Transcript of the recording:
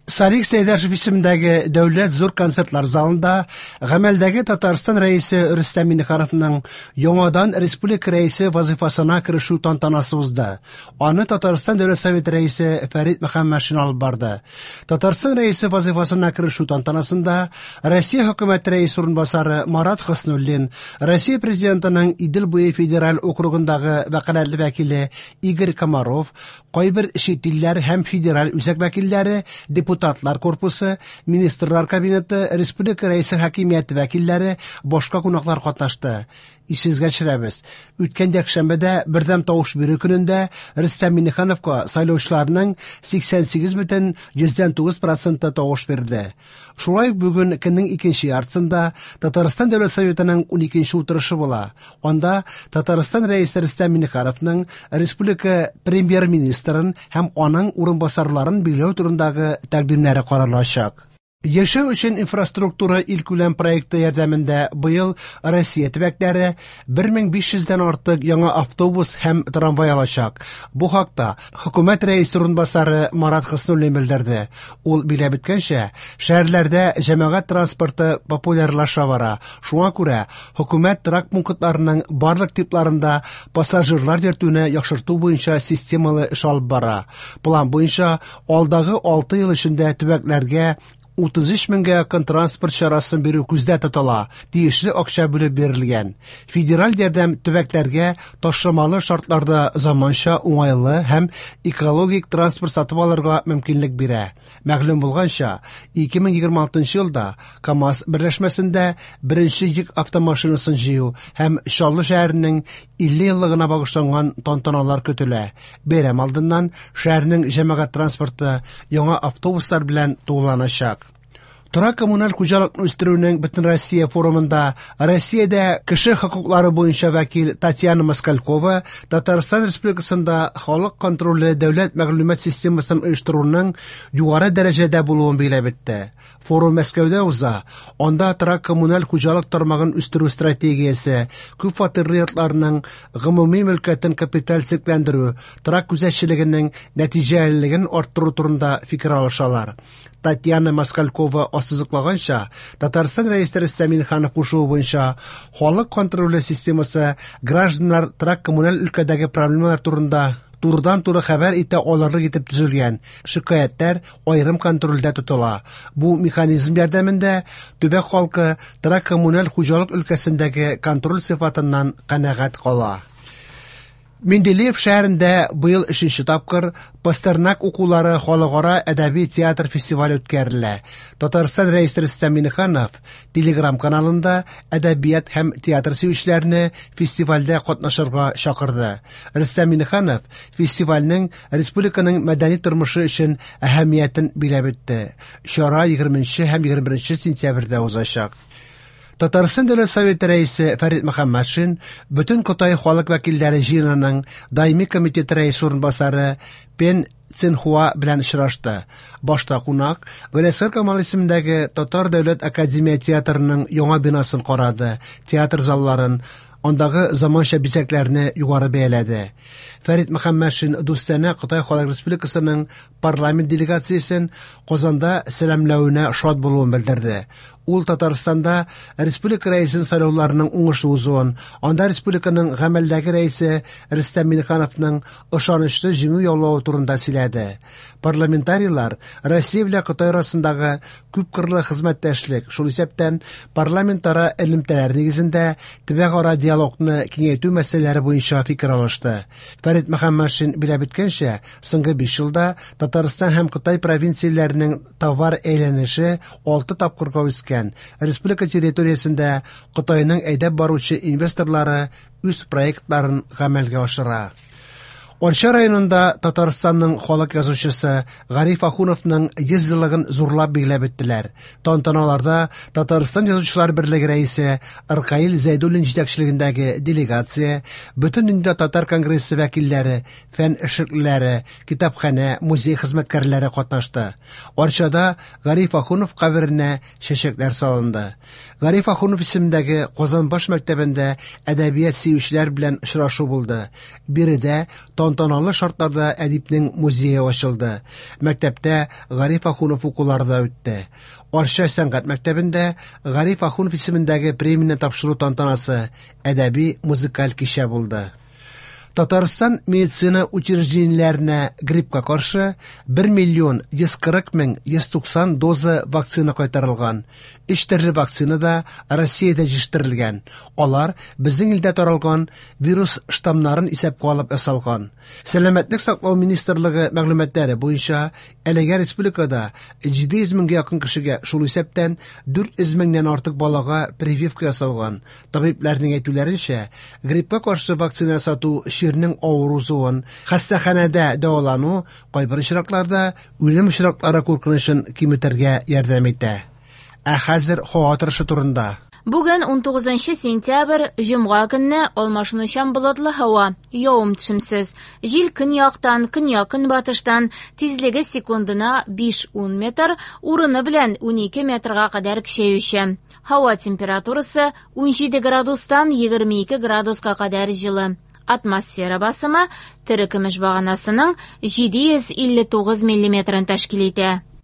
Салих Сәйдәшев исемендәге Дәүләт зур концертлар залында гамәлдәге Татарстан Рәисе Рөстәм Миңнехановның яңадан республика Рәисе вазыйфасына керешү тантанасы узды. Аны Татарстан Дәүләт Советы Рәисе Фәрит Мөхәммәтшин алып барды. Татарстан Рәисе вазыйфасына керешү тантанасында Россия Хөкүмәте Рәисе урынбасары Марат Хөснуллин, Россия Президентының Идел буе федераль округындагы вәкаләтле вәкиле Игорь Комаров, кайбер чит илләр һәм федераль үзәк вәкилләре, депутатлар корпусы, министрлар кабинеты, республика рәисе хакимияте вәкилләре, башка кунаклар катнашты. Исегезгә төшерәбез, үткән якшәмбедә бердәм тавыш бирү көнендә Рөстәм Миңнехановка сайлаучыларның 88,9 проценты тавыш бирде. Шулай ук бүген көннең икенче яртысында Татарстан Дәүләт Советының 12 утырышы була. Анда Татарстан Рәисе Рөстәм Миңнехановның республика премьер-министрын һәм аның урынбасарларын билгеләү турындагы тәкъдимнәре каралачак. Яшәү өчен инфраструктура илкүләм проекты ярдәмендә быел Россия төбәкләре 1500 дән артык яңа автобус һәм трамвай алачак. Бу хакта Хөкүмәт рәисе урынбасары Марат Хөснуллин белдерде. Ул билгеләп үткәнчә, шәһәрләрдә җәмәгать транспорты популярлаша бара. Шуңа күрә хөкүмәт торак пунктларының барлык типларында пассажирлар йөртүне яхшырту буенча системалы эш алып бара. План буенча алдагы 6 ел эчендә төбәкләргә 33 меңгә якын транспорт чарасын бирү күздә тотыла, тиешле акча бүлеп бирелгән. Федераль ярдәм төбәкләргә ташламалы шартларда заманча уңайлы һәм экологик транспорт сатып алырга мөмкинлек бирә. Мәгълүм булганча, 2026 елда КАМАЗ берләшмәсендә беренче йөк автомашинасын җыю һәм Чаллы шәһәренең 50 еллыгына багышланган тантаналар көтелә. Бәйрәм алдыннан шәһәрнең җәмәгать транспорты яңа автобуслар белән тулыланачак. Торак коммуналь хуҗалыкны үстерүнең Бөтенроссия форумында Россиядә кеше хокуклары буенча вәкил Татьяна Москалькова Татарстан Республикасында халык контроле дәүләт мәгълүмат системасын оештыруның югары дәрәҗәдә булуын билгеләп үтте. Форум Мәскәүдә уза. Анда торак коммуналь хуҗалык тармагын үстерү стратегиясе, күп фатирлы йортларның гомуми мөлкәтен капиталь төзекләндерү, торак күзәтчелегенең нәтиҗәлелеген арттыру турында фикер алышалар. Татьяна Москалькова ассызыклаганча, Татарстан Рәисе Рөстәм Миңнеханов кушуы буенча халык контроле системасы гражданнар торак коммуналь өлкәдәге проблемалар турында турыдан-туры хәбәр итә алырлык итеп төзелгән. Шикаятьләр аерым контрольдә тотыла. Бу механизм ярдәмендә төбәк халкы торак коммуналь хуҗалык өлкәсендәге контроль сыйфатыннан канәгать кала. Менделеев шәһәрендә быел өченче тапкыр Пастернак укулары халыкара әдәби театр фестивале үткәрелә. Татарстан Рәисе Рөстәм Миңнеханов Телеграм каналында әдәбият һәм театр сөючеләрне фестивальдә катнашырга чакырды. Рөстәм Миңнеханов фестивальнең республиканың мәдәни тормышы өчен әһәмиятен билгеләп үтте. Чара 20 һәм 21 сентябрьдә узачак. Татарстан Дәүләт Советы рәисе Фәрит Мөхәммәтшин Бөтен Кытай халык вәкилләре җыенының даими комитеты рәисе урынбасары Пен Цинхуа белән очрашты. Башта кунак Галиәсгар Камал исемендәге Татар дәүләт академия театрының яңа бинасын карады, театр залларын, андагы заманча бизәкләрне югары бәяләде. Фәрит Мөхәммәтшин дустанә Кытай Халык Республикасының парламент делегациясен Казанда сәламләвенә шат булуын белдерде. Ул Татарстанда республика рәисен сайлауларының уңышлы узуын, анда республиканың гамәлдәге рәисе Рөстәм Миңнехановның ышанычлы җиңү яулавы турында сөйләде. Парламентарийлар Россия белән Кытай арасындагы күпкырлы хезмәттәшлек, шул исәптән парламентара элемтәләр нигезендә төбәкара диалогны киңәйтү мәсьәләләре буенча фикер алышты. Фәрит Мөхәммәтшин билгеләп үткәнчә, соңгы 5 елда Татарстан һәм Кытай провинцияләренең товар әйләнеше 6 тапкырга үскән. Республика территориясендә Кытайның әйдәп баручы инвесторлары үз проектларын гамәлгә ашыра. Арча районында Татарстанның халык язучысы Гариф Ахуновның 100 еллыгын зурлап билгеләп үттеләр. Тантаналарда Татарстан Язучылар берлеге рәисе Ркаил Зәйдуллин җитәкчелегендәге делегация, Бөтендөнья татар конгрессы вәкилләре, фән эшлеклеләре, китапханә, музей хезмәткәрләре катнашты. Арчада Гариф Ахунов каберенә чәчәкләр салынды. Гариф Ахунов исемендәге Казан баш мәктәбендә әдәбият сөючеләр белән очрашу булды. Биредә тантаналы шартларда әдипнең музее ачылды. Мәктәптә Гариф Ахунов укулары да үтте. Арча сәнгать мәктәбендә Гариф Ахунов исемендәге премияне тапшыру тантанасы, әдәби музыкаль кичә булды. Татарстан медицина учреждениеләренә гриппка каршы 1 миллион 140 мең 190 доза вакцина кайтарылган. Өч төрле вакцина да Россиядә җитештерелгән. Алар безнең илдә таралган вирус штаммнарын исәпкә алып ясалган. Сәламәтлек саклау министрлыгы мәгълүматлары буенча, әлегә республикада 700 меңгә якын кешегә, шул исәптән 400 меңнән артык балага прививка ясалган. Табибләрнең әйтүләренчә, гриппка каршы вакцина ясату чирнең авыр узуын, хастаханәдә дәвалану, кайбер очракларда үлем очраклары куркынычын киметергә ярдәм итә. Ә хәзер һава торышы турында. Бүген 19 сентябрь, җомга көнне алмашынучан болытлы һава, явым-төшемсез. Җил көньяктан, көньяк-көнбатыштан, тизлеге секундына 5-10 метр, урыны белән 12 метрга кадәр көчәюче. Һава температурасы 17 градустан 22 градуска кадәр җылы. Атмосфера басымы терекөмеш баганасының 759 миллиметрын тәшкил итә.